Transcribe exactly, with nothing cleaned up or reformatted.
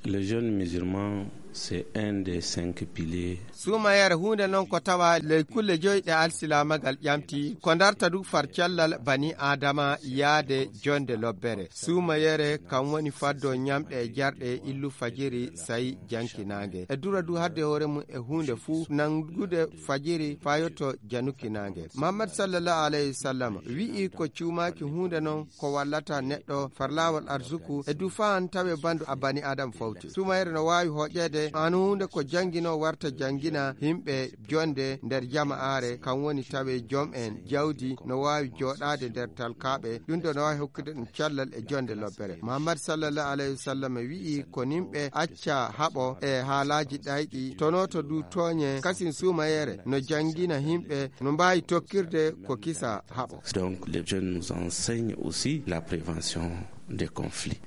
Le jeûne musulman, c'est un des cinq piliers. Suumayere huunde noon ko tawa ley kulle joyi ɗe alsilaamagal ƴamti, ko darta du far cellal bani Aadama yaade jonde lobbere. Suumayere kam woni faddo ñamɗe e jarɗe illu fajiri, sayi jankinaange. E dura du hadde hoore mum e huunde fuu nanngude fajiri faa yotto janukinaange. Muhammad sallallahu alayhi wa sallam wi'i ko cuumaaki huunde noon ko wallata neɗɗo far laawol arsuku e du faan tawe bandu a bani Aadama fawti. Suumayere no waawi hoƴeede aan huunde ko janngino warta janngina yimɓe jonde nder jama'aare, kam woni tawe jom en jawdi no waawi jooɗaade nder talkaaɓe, ɗum ɗo no waawi hokkude ɗum cellal e jonde lobbere. Muhammad sallallahu alayhi wa sallam wi'i ko nimɓe acca haɓo e haalaaji ɗayɗi, tonooto du tooñe, kasin suumayere no janngina yimɓe no mbaawi tokkirde ko kisa haɓo. Donc, les jeunes nous enseignent aussi la prévention des conflits.